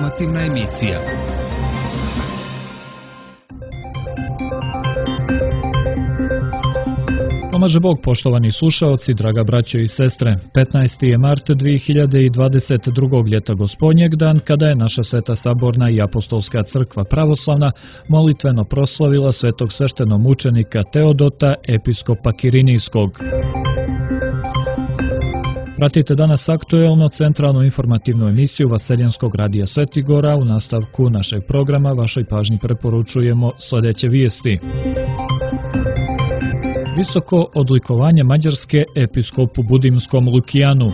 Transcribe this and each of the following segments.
Informativna emisija. Pomaže Bog, poštovani slušaoci, draga braćo i sestre. 15. je mart 2022. ljeta Gospodnjeg dan, kada je naša Sveta Saborna i Apostolska crkva pravoslavna molitveno proslavila svetog sveštenomučenika Teodota, episkopa Kirinijskog. Pratite danas aktuelno centralnu informativnu emisiju Vaseljenskog radija Svetigora. U nastavku našeg programa vašoj pažnji preporučujemo sljedeće vijesti. Visoko odlikovanje Mađarske episkopu Budimskom Lukijanu.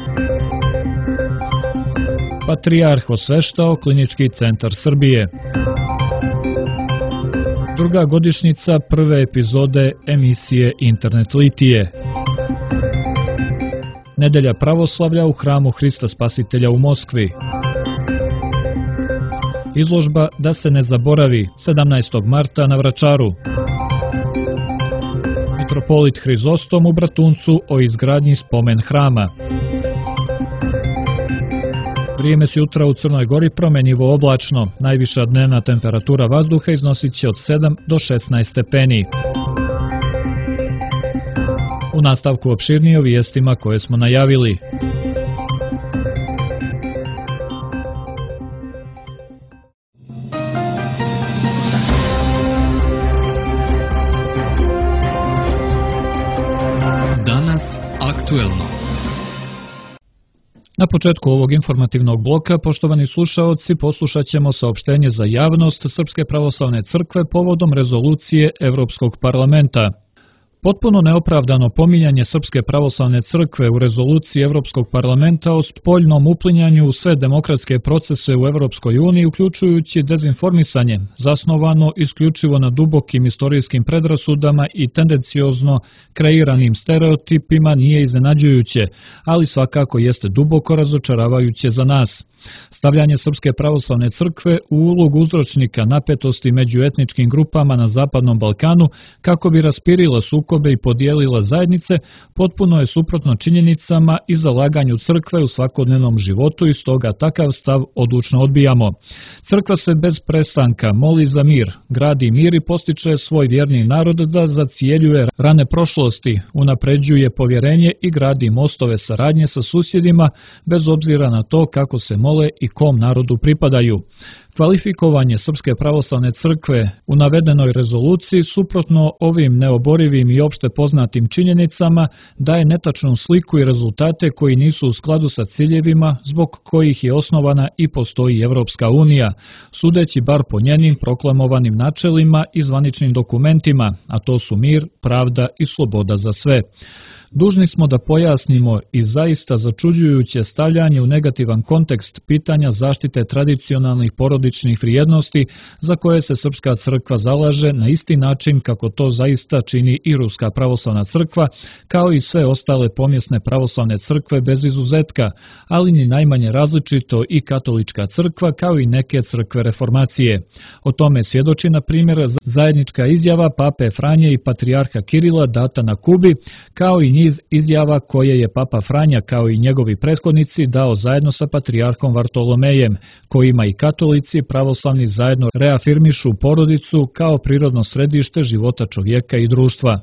Patrijarh osveštao Klinički centar Srbije. Druga godišnjica prve epizode emisije Internet Litije. Nedelja pravoslavlja u hramu Hrista Spasitelja u Moskvi. Izložba Da se ne zaboravi 17. marta na Vračaru. Mitropolit Hrizostom u Bratuncu o izgradnji spomen hrama. Vrijeme s jutra u Crnoj Gori promjenjivo oblačno. Najviša dnevna temperatura vazduha iznosit će od 7 do 16 stepeni. U nastavku opširnije o vijestima koje smo najavili. Danas aktuelno. Na početku ovog informativnog bloka, poštovani slušaoci, poslušat ćemo saopštenje za javnost Srpske pravoslavne crkve povodom rezolucije Evropskog parlamenta. Potpuno neopravdano pominjanje Srpske pravoslavne crkve u rezoluciji Evropskog parlamenta o spoljnom uplinjanju u sve demokratske procese u Evropskoj uniji, uključujući dezinformisanje, zasnovano isključivo na dubokim istorijskim predrasudama i tendenciozno kreiranim stereotipima, nije iznenađujuće, ali svakako jeste duboko razočaravajuće za nas. Stavljanje Srpske pravoslavne crkve u ulogu uzročnika napetosti među etničkim grupama na Zapadnom Balkanu kako bi raspirila sukobe i podijelila zajednice potpuno je suprotno činjenicama i zalaganju crkve u svakodnevnom životu i stoga takav stav odlučno odbijamo. Crkva se bez prestanka moli za mir, gradi mir i postiče svoj vjerni narod da zacjeljuje rane prošlosti, unapređuje povjerenje i gradi mostove saradnje sa susjedima bez obzira na to kako se mole i kom narodu pripadaju. Kvalifikovanje Srpske pravoslavne crkve u navedenoj rezoluciji suprotno ovim neoborivim i opšte poznatim činjenicama daje netačnu sliku i rezultate koji nisu u skladu sa ciljevima zbog kojih je osnovana i postoji Evropska unija, sudeći bar po njenim proklamovanim načelima i zvaničnim dokumentima, a to su mir, pravda i sloboda za sve. Dužni smo da pojasnimo i zaista začuđujuće stavljanje u negativan kontekst pitanja zaštite tradicionalnih porodičnih vrijednosti za koje se Srpska crkva zalaže na isti način kako to zaista čini i Ruska pravoslavna crkva, kao i sve ostale pomjesne pravoslavne crkve bez izuzetka, ali ni najmanje različito i katolička crkva kao i neke crkve reformacije. O tome svjedoči na primjer zajednička izjava Pape Franje i Patrijarha Kirila data na Kubi, kao i niz izjava koje je Papa Franja kao i njegovi prethodnici dao zajedno sa Patrijarhom Vartolomejem, kojima i katolici pravoslavni zajedno reafirmišu porodicu kao prirodno središte života čovjeka i društva.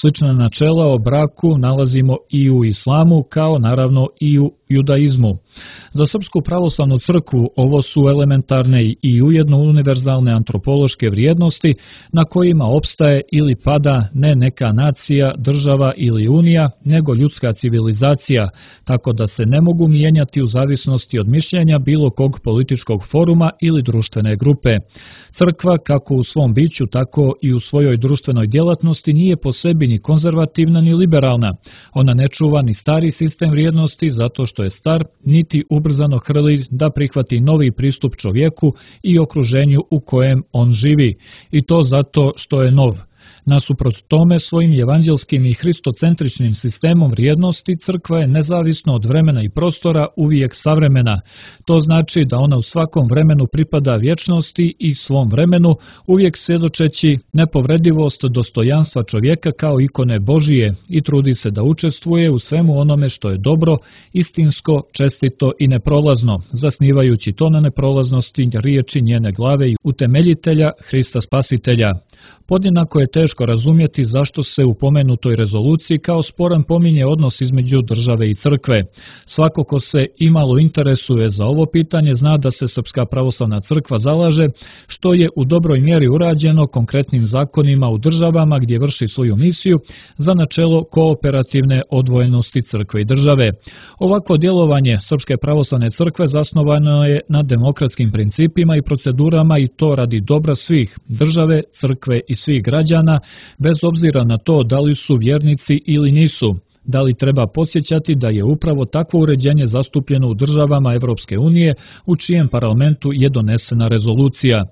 Slična načela o braku nalazimo i u islamu, kao naravno i u judaizmu. Za Srpsku pravoslavnu crkvu ovo su elementarne i ujedno univerzalne antropološke vrijednosti na kojima opstaje ili pada ne neka nacija, država ili unija, nego ljudska civilizacija, tako da se ne mogu mijenjati u zavisnosti od mišljenja bilo kog političkog foruma ili društvene grupe. Crkva, kako u svom biću, tako i u svojoj društvenoj djelatnosti, nije po sebi ni konzervativna ni liberalna. Ona ne čuva ni stari sistem vrijednosti zato što je star, niti ubrzano hrli da prihvati novi pristup čovjeku i okruženju u kojem on živi. I to zato što je nov. Nasuprot tome, svojim evanđelskim i hristocentričnim sistemom vrijednosti crkva je nezavisno od vremena i prostora uvijek savremena. To znači da ona u svakom vremenu pripada vječnosti i svom vremenu, uvijek svjedočeći nepovredivost dostojanstva čovjeka kao ikone Božije i trudi se da učestvuje u svemu onome što je dobro, istinsko, čestito i neprolazno, zasnivajući to na neprolaznosti riječi njene glave i utemeljitelja Hrista Spasitelja. Podjednako je teško razumjeti zašto se u pomenutoj rezoluciji kao sporan pominje odnos između države i crkve. Svako ko se imalo interesuje za ovo pitanje zna da se Srpska pravoslavna crkva zalaže, što je u dobroj mjeri urađeno konkretnim zakonima u državama gdje vrši svoju misiju, za načelo kooperativne odvojenosti crkve i države. Ovako djelovanje Srpske pravoslavne crkve zasnovano je na demokratskim principima i procedurama i to radi dobra svih, države, crkve i svih građana, bez obzira na to da li su vjernici ili nisu. Da li treba podsjećati da je upravo takvo uređenje zastupljeno u državama Evropske unije, u čijem parlamentu je donesena rezolucija.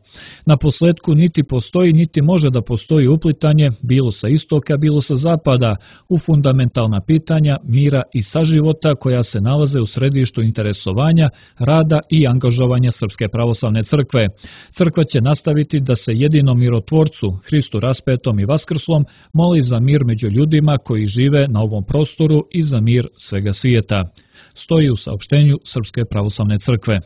Na posljedku niti postoji niti može da postoji uplitanje, bilo sa istoka, bilo sa zapada, u fundamentalna pitanja mira i saživota koja se nalaze u središtu interesovanja, rada i angažovanja Srpske pravoslavne crkve. Crkva će nastaviti da se jedinom mirotvorcu, Hristu raspetom i vaskrslom, moli za mir među ljudima koji žive na ovom prostoru i za mir svega svijeta. Stoji u saopštenju Srpske pravoslavne crkve.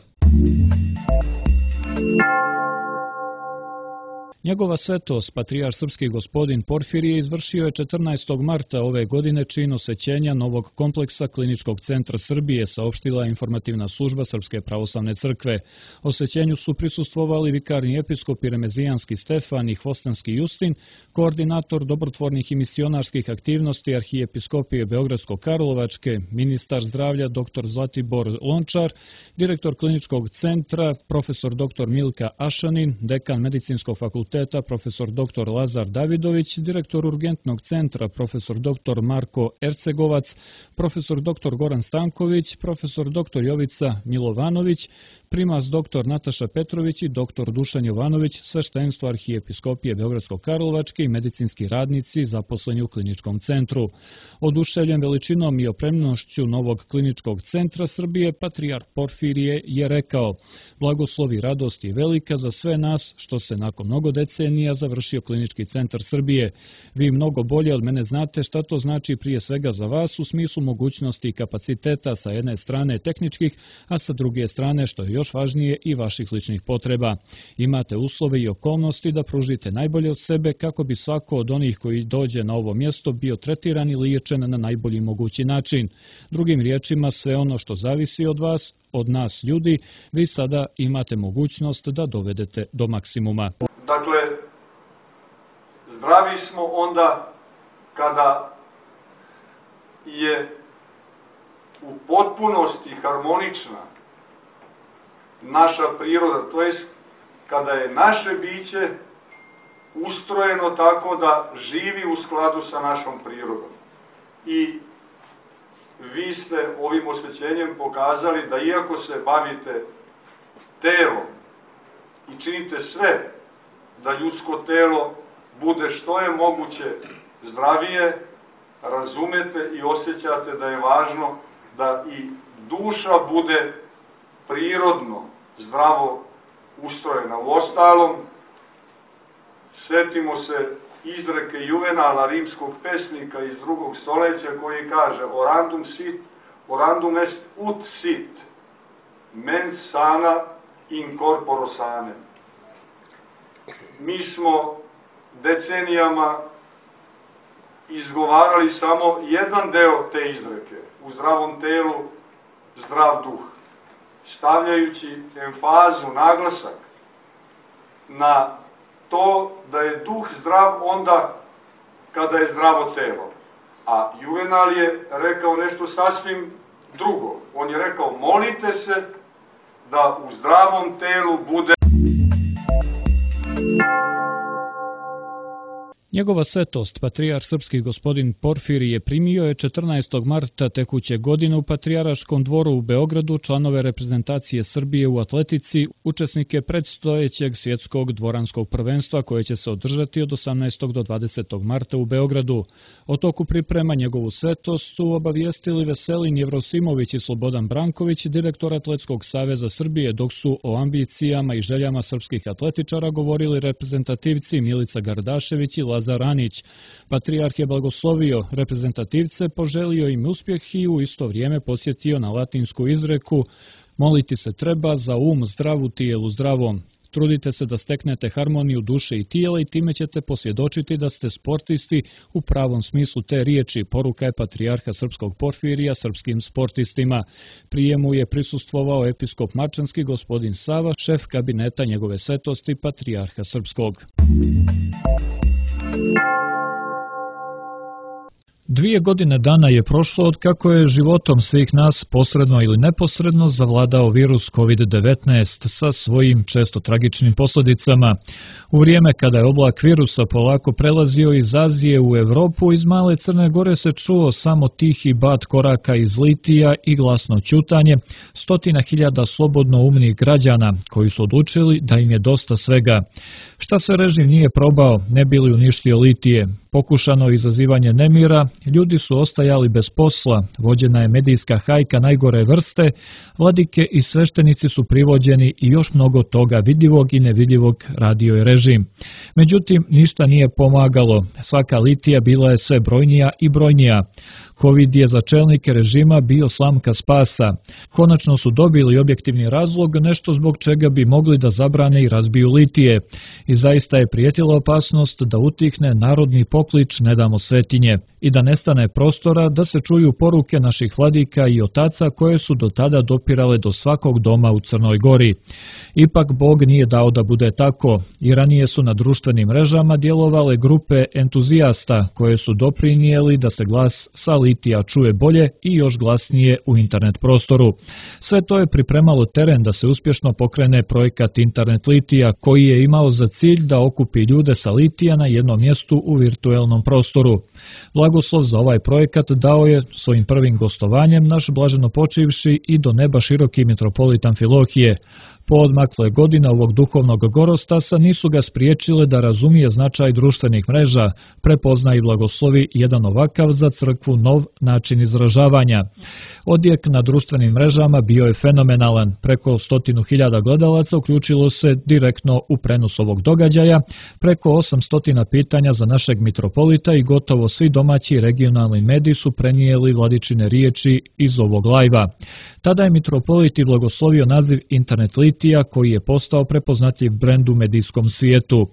Njegova svetost, patrijarh srpski gospodin Porfirije, izvršio je 14. marta ove godine čin osvećenja novog kompleksa Kliničkog centra Srbije, saopštila informativna služba Srpske pravoslavne crkve. Osvećenju su prisustvovali vikarni episkopi Remezijanski Stefan i Hvostanski Justin, koordinator dobrotvornih i misionarskih aktivnosti arhijepiskopije Beogradsko-Karlovačke, ministar zdravlja dr. Zlatibor Lončar, direktor kliničkog centra profesor dr. Milka Ašanin, dekan medicinskog fakulteta profesor dr. Lazar Davidović, direktor urgentnog centra profesor dr. Marko Ercegovac, profesor dr. Goran Stanković, profesor dr. Jovica Milovanović, primas dr. Nataša Petrović i dr. Dušan Jovanović, sveštenstvo arhijepiskopije Beogradsko-Karlovačke i medicinski radnici zaposleni u kliničkom centru. Oduševljen veličinom i opremnošću novog kliničkog centra Srbije, patrijarh Porfirije je rekao: blagoslov i radost je velika za sve nas što se nakon mnogo decenija završio klinički centar Srbije. Vi mnogo bolje od mene znate šta to znači prije svega za vas u smislu mogućnosti i kapaciteta sa jedne strane tehničkih, a sa druge strane, što je još važnije, i vaših ličnih potreba. Imate uslove i okolnosti da pružite najbolje od sebe kako bi svako od onih koji dođe na ovo mjesto bio tretiran i liječen na najbolji mogući način. Drugim riječima, sve ono što zavisi od vas, od nas ljudi, vi sada imate mogućnost da dovedete do maksimuma. Dakle, zdravi smo onda kada je u potpunosti harmonična naša priroda, to jest kada je naše biće ustrojeno tako da živi u skladu sa našom prirodom. I vi ste ovim osvećenjem pokazali da iako se bavite telom i činite sve da ljudsko telo bude što je moguće zdravije, razumete i osjećate da je važno da i duša bude prirodno zdravo ustrojena. Uostalom, sjetimo se izreke Juvenala, rimskog pesnika iz 2. stoljeća, koji kaže: orandum est ut sit, mens sana in corporo sane. Mi smo decenijama izgovarali samo jedan deo te izreke: u zdravom telu zdrav duh, stavljajući emfazu, naglasak na to da je duh zdrav onda kada je zdravo telo. A Juvenal je rekao nešto sasvim drugo. On je rekao: molite se da u zdravom telu bude. Njegova svetost, patrijarh srpski gospodin Porfirije, primio je 14. marta tekuće godine u Patrijarhaškom dvoru u Beogradu članove reprezentacije Srbije u atletici, učesnike predstojećeg svjetskog dvoranskog prvenstva koje će se održati od 18. do 20. marta u Beogradu. O toku priprema njegovu svetost su obavijestili Veselin Jevrosimović i Slobodan Branković, direktor Atletskog saveza Srbije, dok su o ambicijama i željama srpskih atletičara govorili reprezentativci Milica Gardašević i Lazar Anić. Patrijarh je blagoslovio reprezentativce, poželio im uspjeh i u isto vrijeme posjetio na latinsku izreku "Moliti se treba za zdrav u tijelu zdravom". Trudite se da steknete harmoniju duše i tijela i time ćete posvjedočiti da ste sportisti u pravom smislu te riječi, poruka je patrijarha srpskog Porfirija srpskim sportistima. Prijemu je prisustvovao episkop mačanski gospodin Sava, šef kabineta njegove svetosti patrijarha srpskog. 2 godine dana je prošlo od kako je životom svih nas posredno ili neposredno zavladao virus COVID-19 sa svojim često tragičnim posljedicama. U vrijeme kada je oblak virusa polako prelazio iz Azije u Europu, iz male Crne Gore se čuo samo tihi bat koraka iz litija i glasno ćutanje stotina hiljada slobodno umnih građana koji su odlučili da im je dosta svega. Šta se režim nije probao, ne bi li uništio litije? Pokušano izazivanje nemira, ljudi su ostajali bez posla, vođena je medijska hajka najgore vrste, vladike i sveštenici su privođeni i još mnogo toga vidljivog i nevidljivog radio je režim. Međutim, ništa nije pomagalo, svaka litija bila je sve brojnija i brojnija. Covid je za čelnike režima bio slamka spasa. Konačno su dobili objektivni razlog, nešto zbog čega bi mogli da zabrane i razbiju litije. I zaista je prijetila opasnost da utihne narodni poklič "Ne damo svetinje" i da nestane prostora da se čuju poruke naših vladika i otaca koje su do tada dopirale do svakog doma u Crnoj Gori. Ipak Bog nije dao da bude tako i ranije su na društvenim mrežama djelovale grupe entuzijasta koje su doprinijeli da se glas sa litija čuje bolje i još glasnije u internet prostoru. Sve to je pripremalo teren da se uspješno pokrene projekat Internet litija koji je imao za cilj da okupi ljude sa litija na jednom mjestu u virtuelnom prostoru. Blagoslov za ovaj projekat dao je svojim prvim gostovanjem naš blaženopočivši i do neba široki mitropolit Amfilohije. Poodmakle godine ovog duhovnog gorostasa nisu ga spriječile da razumije značaj društvenih mreža, prepozna i blagoslovi jedan ovakav za crkvu nov način izražavanja. Odjek na društvenim mrežama bio je fenomenalan. Preko 100.000 gledalaca uključilo se direktno u prenos ovog događaja, preko 800 pitanja za našeg mitropolita i gotovo svi domaći i regionalni mediji su prenijeli vladičine riječi iz ovog lajva. Tada je mitropolit i blagoslovio naziv Internet litija koji je postao prepoznatljiv brend u medijskom svijetu.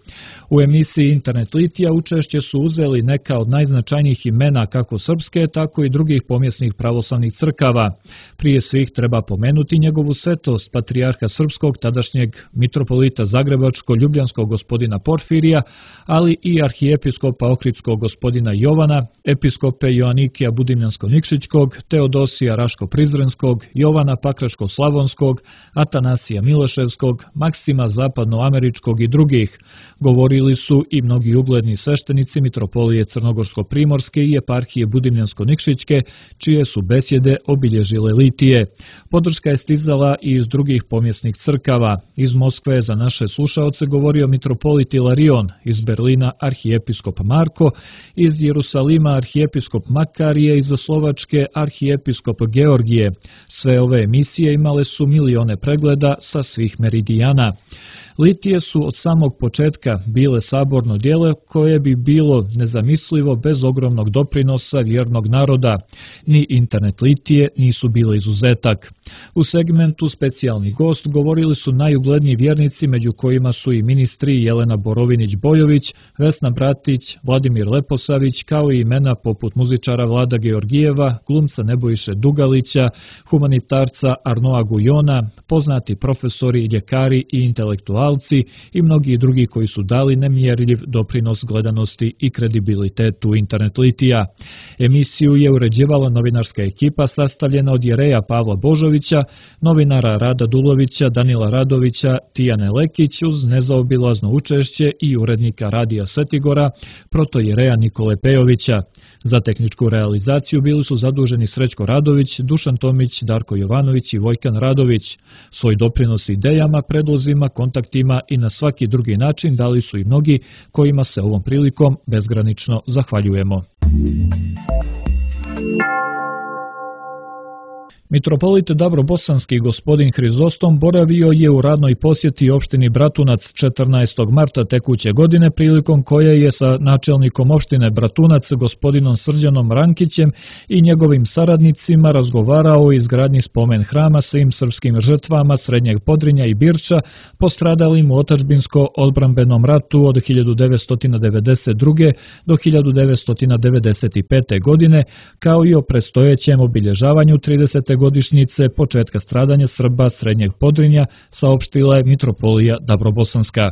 U emisiji Internet litija učešće su uzeli neka od najznačajnijih imena kako srpske, tako i drugih pomjesnih pravoslavnih crkava. Prije svih treba pomenuti njegovu svetost, patrijarha srpskog, tadašnjeg mitropolita Zagrebačko-Ljubljanskog gospodina Porfirija, ali i arhijepiskopa Ohridskog gospodina Jovana, episkope Joanikija Budimljansko-Nikšićkog, Teodosija Raško-Prizrenskog, Jovana Pakraško-Slavonskog, Atanasija Miloševskog, Maksima Zapadnoameričkog i drugih. Govorili su i mnogi ugledni sveštenici mitropolije Crnogorsko-Primorske i eparhije Budimljansko-Nikšićke, čije su besjede obilježile litije. Podrška je stizala i iz drugih pomjesnih crkava. Iz Moskve je za naše slušaoce govorio mitropolit Ilarion, iz Berlina arhijepiskop Marko, iz Jerusalima arhijepiskop Makarije, iz Slovačke arhijepiskop Georgije. Sve ove emisije imale su milione pregleda sa svih meridijana. Litije su od samog početka bile saborno djelo koje bi bilo nezamislivo bez ogromnog doprinosa vjernog naroda. Ni Internet litije nisu bile izuzetak. U segmentu specijalni gost govorili su najugledniji vjernici, među kojima su i ministri Jelena Borovinić-Bojović, Vesna Bratić, Vladimir Leposavić, kao i imena poput muzičara Vlada Georgijeva, glumca Nebojše Dugalića, humanitarca Arnoa Gujona, poznati profesori, ljekari i intelektualci intelektualci i mnogi drugi koji su dali nemjerljiv doprinos gledanosti i kredibilitetu internet litija. Emisiju je uređivala novinarska ekipa sastavljena od jereja Pavla Božovića, novinara Rada Dulovića, Danila Radovića, Tijane Lekić uz nezaobilazno učešće i urednika Radija Svetigora, protojereja Nikole Pejovića. Za tehničku realizaciju bili su zaduženi Srećko Radović, Dušan Tomić, Darko Jovanović i Vojkan Radović. Svoj doprinos idejama, predlozima, kontaktima i na svaki drugi način dali su i mnogi kojima se ovom prilikom bezgranično zahvaljujemo. Mitropolit Davrobosanski gospodin Hrizostom boravio je u radnoj posjeti opštini Bratunac 14. marta tekuće godine, prilikom koje je sa načelnikom opštine Bratunac gospodinom Srđanom Rankićem i njegovim saradnicima razgovarao o izgradnji spomen hrama svim srpskim žrtvama Srednjeg Podrinja i Birča postradalim u otadžbinsko-odbrambenom ratu od 1992. do 1995. godine, kao i o predstojećem obilježavanju 30. godišnjice početka stradanja Srba Srednjeg Podrinja, saopštila je Mitropolija Davrobosanska.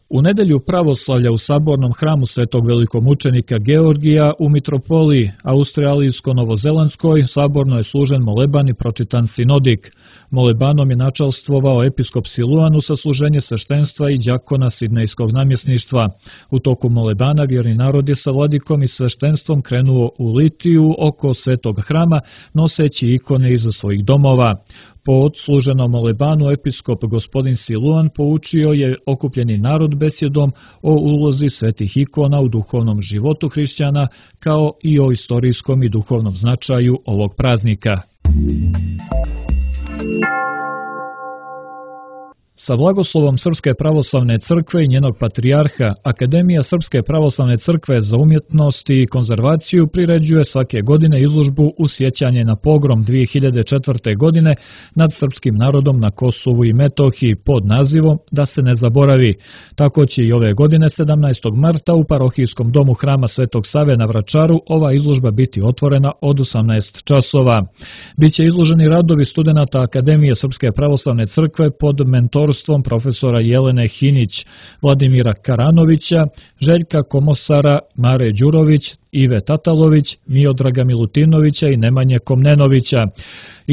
U nedelju pravoslavlja u sabornom hramu Svetog velikomučenika Georgija u Mitropoliji Australijsko-Novozelandskoj saborno je služen moleban i pročitan sinodik. Molebanom je načalstvovao episkop Siluan u sasluženje sveštenstva i đakona Sidnejskog namjesništva. U toku molebana vjerni narod je sa vladikom i sveštenstvom krenuo u litiju oko Svetog hrama, noseći ikone iza svojih domova. Po odsluženom molebanu episkop gospodin Siluan poučio je okupljeni narod besjedom o ulozi svetih ikona u duhovnom životu hrišćana, kao i o istorijskom i duhovnom značaju ovog praznika. Sa blagoslovom Srpske pravoslavne crkve i njenog patrijarha, Akademija Srpske pravoslavne crkve za umjetnost i konzervaciju priređuje svake godine izložbu u sjećanje na pogrom 2004. godine nad srpskim narodom na Kosovu i Metohiji pod nazivom Da se ne zaboravi. Tako će i ove godine 17. marta u parohijskom domu Hrama Svetog Save na Vračaru ova izložba biti otvorena od 18 časova. Biće izloženi radovi studenata Akademije Srpske pravoslavne crkve pod mentorstvom profesora Jelene Hinić, Vladimira Karanovića, Željka Komosara, Mare Đurović, Ive Tatalović, Miodraga Milutinovića i Nemanje Komnenovića.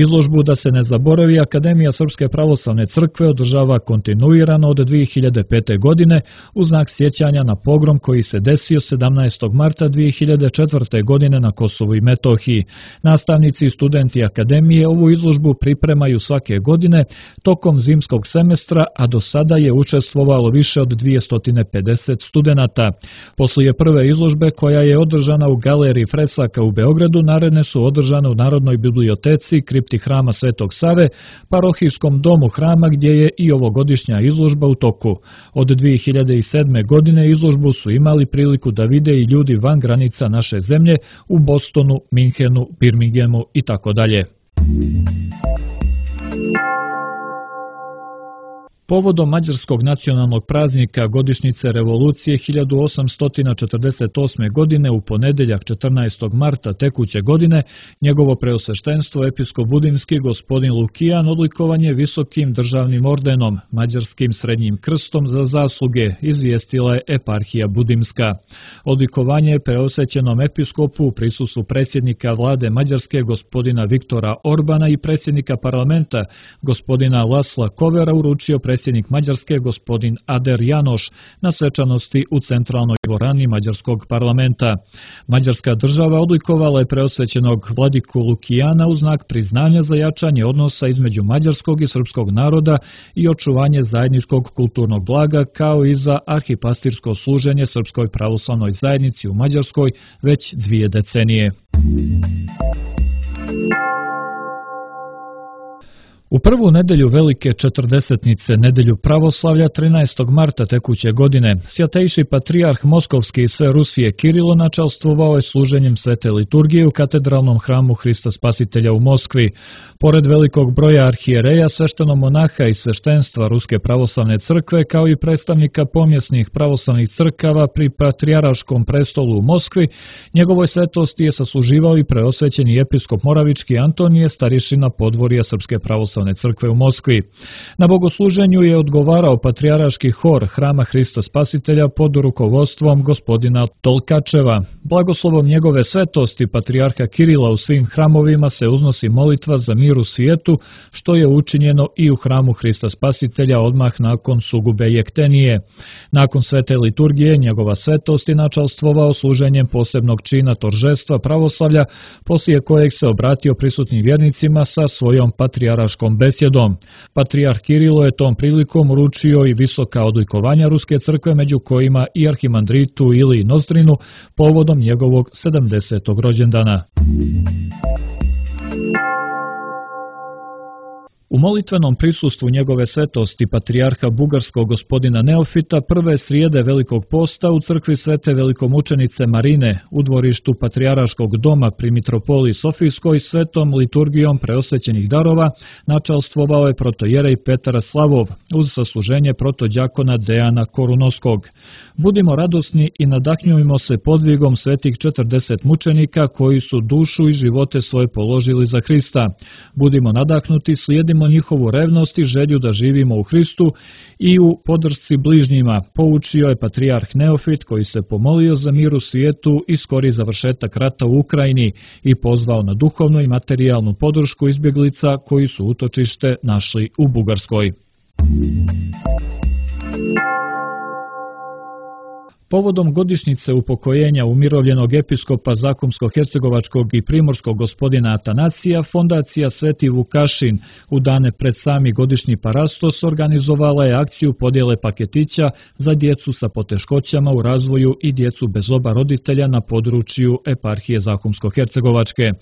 Izložbu Da se ne zaboravi Akademija Srpske pravoslavne crkve održava kontinuirano od 2005. godine u znak sjećanja na pogrom koji se desio 17. marta 2004. godine na Kosovu i Metohiji. Nastavnici i studenti Akademije ovu izložbu pripremaju svake godine tokom zimskog semestra, a do sada je učestvovalo više od 250 studenata. Poslije prve izložbe koja je održana u Galeriji Fresaka u Beogradu, naredne su održane u Narodnoj biblioteci kripti Hrama Svetog Save, parohijskom domu Hrama gdje je i ovogodišnja izložba u toku. Od 2007. godine izložbu su imali priliku da vide i ljudi van granica naše zemlje u Bostonu, Minhenu, Birminghamu i tako dalje. Povodom mađarskog nacionalnog praznika godišnjice revolucije 1848. godine u ponedeljak 14. marta tekuće godine, njegovo preosveštenstvo episkop Budimski gospodin Lukijan odlikovan je visokim državnim ordenom, mađarskim srednjim krstom za zasluge, izvijestila je eparhija Budimska. Odlikovanje je preosvećenom episkopu u prisustvu predsjednika vlade Mađarske gospodina Viktora Orbana i predsjednika parlamenta gospodina Lasla Kovera uručio predsjednik Mađarske gospodin Ader Janoš na svečanosti u centralnoj dvorani Mađarskog parlamenta. Mađarska država odlikovala je preosvećenog vladiku Lukijana u znak priznanja za jačanje odnosa između mađarskog i srpskog naroda i očuvanje zajedničkog kulturnog blaga, kao i za arhipastirsko služenje Srpskoj pravoslavnoj zajednici u Mađarskoj već 2 decenije. U prvu nedelju Velike četrdesetnice, nedelju pravoslavlja 13. marta tekuće godine, Svjatejši patrijarh Moskovski i sve Rusije Kirilo načastvovao je služenjem svete liturgije u katedralnom hramu Hrista Spasitelja u Moskvi. Pored velikog broja arhijereja, sveštenomonaha i sveštenstva Ruske pravoslavne crkve, kao i predstavnika pomjesnih pravoslavnih crkava pri Patrijarškom prestolu u Moskvi, njegovoj svetosti je sasluživao i preosvećeni episkop Moravički Antonije, starišina podvorja Srpske pravoslavne crkve u Moskvi. Na bogosluženju je odgovarao patrijarški hor Hrama Hrista Spasitelja pod rukovodstvom gospodina Tolkačeva. Blagoslovom njegove svetosti patrijarha Kirila u svim hramovima se uznosi molitva za mir u svijetu, što je učinjeno i u hramu Hrista Spasitelja odmah nakon sugube jektenije. Nakon svete liturgije njegova svetost je načastvovao služenjem posebnog čina toržestva pravoslavlja, poslije kojeg se obratio prisutnim vjernicima sa svojom patrijarškom besjedom. Patrijarh Kirilo je tom prilikom uručio i visoka odlikovanja Ruske crkve, među kojima i arhimandritu Iliji Nozdrinu povodom njegovog 70. rođendana. U molitvenom prisustvu njegove svetosti patrijarha bugarskog gospodina Neofita prve srijede Velikog posta u crkvi svete velikomučenice Marine u dvorištu patrijarškog doma pri mitropoliji Sofijskoj svetom liturgijom preosvećenih darova načastvovao je protojerej Petar Slavov uz sasluženje protodjakona Dejana Korunoskog. Budimo radosni i nadahnjujmo se podvigom svetih 40 mučenika koji su dušu i živote svoje položili za Hrista. Budimo nadahnuti, slijedimo njihovu revnost i želju da živimo u Hristu i u podršci bližnjima, poučio je patrijarh Neofit koji se pomolio za mir u svijetu i skori završetak rata u Ukrajini i pozvao na duhovnu i materijalnu podršku izbjeglica koji su utočište našli u Bugarskoj. Povodom godišnjice upokojenja umirovljenog episkopa Zakumsko-hercegovačkog i primorskog gospodina Atanasija, fondacija Sveti Vukašin u dane pred sami godišnji parastos organizovala je akciju podjele paketića za djecu sa poteškoćama u razvoju i djecu bez oba roditelja na području eparhije Zakumsko-hercegovačke.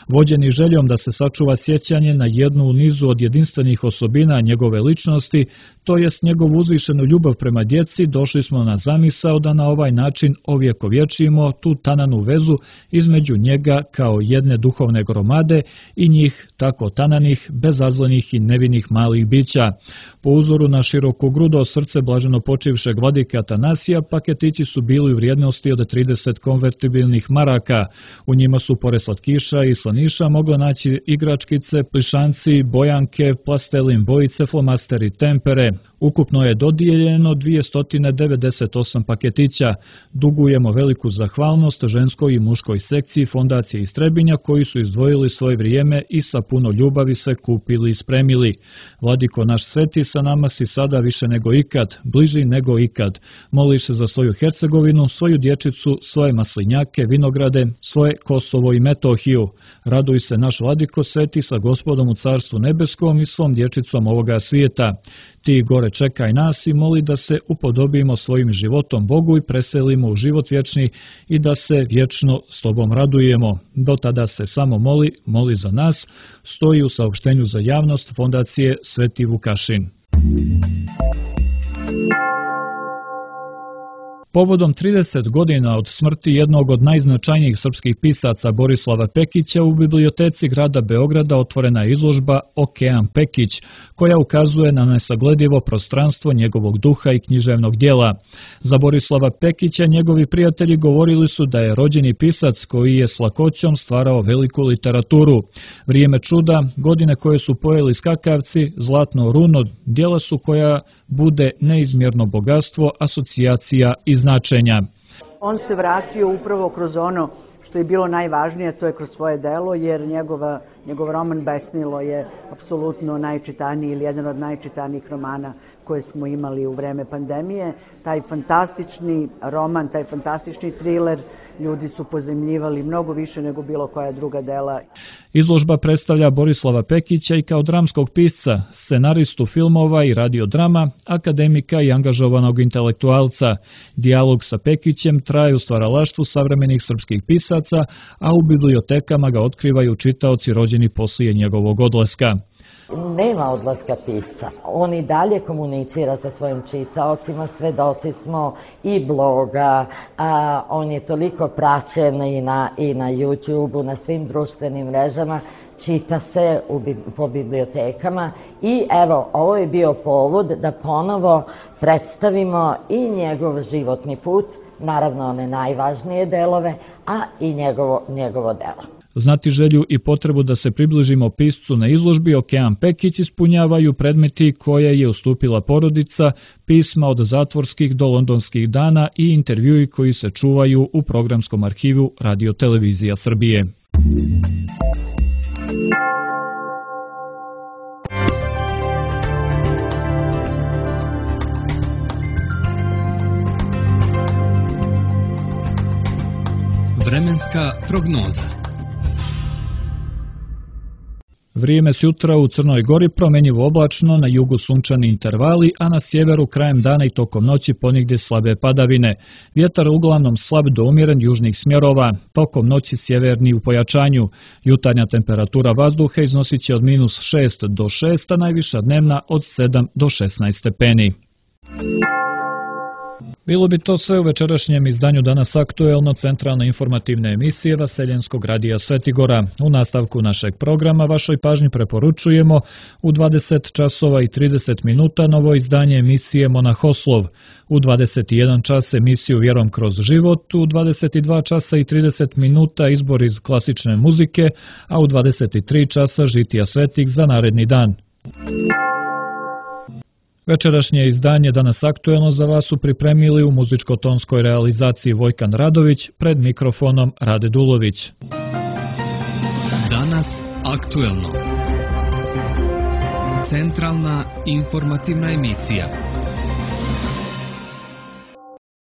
Vođeni željom da se sačuva sjećanje na jednu u nizu od jedinstvenih osobina njegove ličnosti, to jest njegovu uzvišenu ljubav prema djeci, došli smo na zamisao da na ovaj način ovjekovječimo tu tananu vezu između njega kao jedne duhovne gromade i njih tako tananih, bezazlenih i nevinih malih bića. Po uzoru na širokogrudo srce blaženo počivšeg vladike Atanasija, paketići su bili u vrijednosti od 30 konvertibilnih maraka. U njima su pored slatkiša i slaniša moglo naći igračkice, plišanci, bojanke, plastelin bojice, flomasteri, tempere. Ukupno je dodijeljeno 298 paketića. Dugujemo veliku zahvalnost ženskoj i muškoj sekciji fondacije iz Trebinja koji su izdvojili svoje vrijeme i sa puno ljubavi se kupili i spremili. Vladiko naš sveti, sa nama si sada više nego ikad, bliži nego ikad. Moliš se za svoju Hercegovinu, svoju dječicu, svoje maslinjake, vinograde, svoje Kosovo i Metohiju. Raduj se naš Vladiko sveti sa Gospodom u Carstvu nebeskom i svom dječicom ovoga svijeta. Ti gore čekaj nas i moli da se upodobimo svojim životom Bogu i preselimo u život vječni i da se vječno s tobom radujemo. Do tada se samo moli za nas, stoji u saopštenju za javnost fondacije Sveti Vukašin. Povodom 30 godina od smrti jednog od najznačajnijih srpskih pisaca Borislava Pekića u biblioteci grada Beograda otvorena je izložba Okean Pekić, koja ukazuje na nesagledivo prostranstvo njegovog duha i književnog djela. Za Borislava Pekića njegovi prijatelji govorili su da je rođeni pisac koji je s lakoćom stvarao veliku literaturu. Vrijeme čuda, godine koje su pojeli skakavci, zlatno runo, djela su koja bude neizmjerno bogatstvo, asocijacija i značenja. On se vratio upravo kroz ono što je bilo najvažnije, to je kroz svoje delo, jer njegov roman Besnilo je apsolutno najčitaniji ili jedan od najčitanijih romana koje smo imali u vreme pandemije. Taj fantastični roman, taj fantastični thriller, ljudi su pozemljivali mnogo više nego bilo koja druga dela. Izložba predstavlja Borislava Pekića i kao dramskog pisca, scenaristu filmova i radiodrama, akademika i angažovanog intelektualca. Dijalog sa Pekićem traje u stvaralaštvu savremenih srpskih pisaca, a u bibliotekama ga otkrivaju čitaoci rođeni poslije njegovog odlaska. nema odlaska pisca. On i dalje komunicira sa svojim čitaocima, svedoci smo i bloga, on je toliko praćen i na YouTube-u, na svim društvenim mrežama, čita se po bibliotekama i evo, ovo je bio povod da ponovo predstavimo i njegov životni put, naravno one najvažnije delove, a i njegovo delo. Znati želju i potrebu da se približimo piscu na izložbi Okean Pekić ispunjavaju predmeti koje je ustupila porodica, pisma od zatvorskih do londonskih dana i intervjui koji se čuvaju u programskom arhivu Radio-televizija Srbije. Vremenska prognoza. Vrijeme s jutra u Crnoj Gori promjenjivo oblačno, na jugu sunčani intervali, a na sjeveru krajem dana i tokom noći ponigdje slabe padavine. Vjetar uglavnom slab do umjeren južnih smjerova, tokom noći sjeverni u pojačanju. Jutarnja temperatura vazduha iznosit će od -6 do 6, a najviša dnevna od 7 do 16 stepeni. Bilo bi to sve u večerašnjem izdanju Danas aktuelno, centralne informativne emisije Vaseljenskog radija Svetigora. U nastavku našeg programa vašoj pažnji preporučujemo u 20 časova i 30 minuta novo izdanje emisije Monahoslov, u 21 čas emisiju Vjerom kroz život, u 22 časa i 30 minuta izbor iz klasične muzike, a u 23 časa žitija svetih za naredni dan. Večerašnje izdanje Danas aktuelno za vas su pripremili u muzičko-tonskoj realizaciji Vojkan Radović, pred mikrofonom Rade Dulović. Danas aktuelno. Centralna informativna emisija.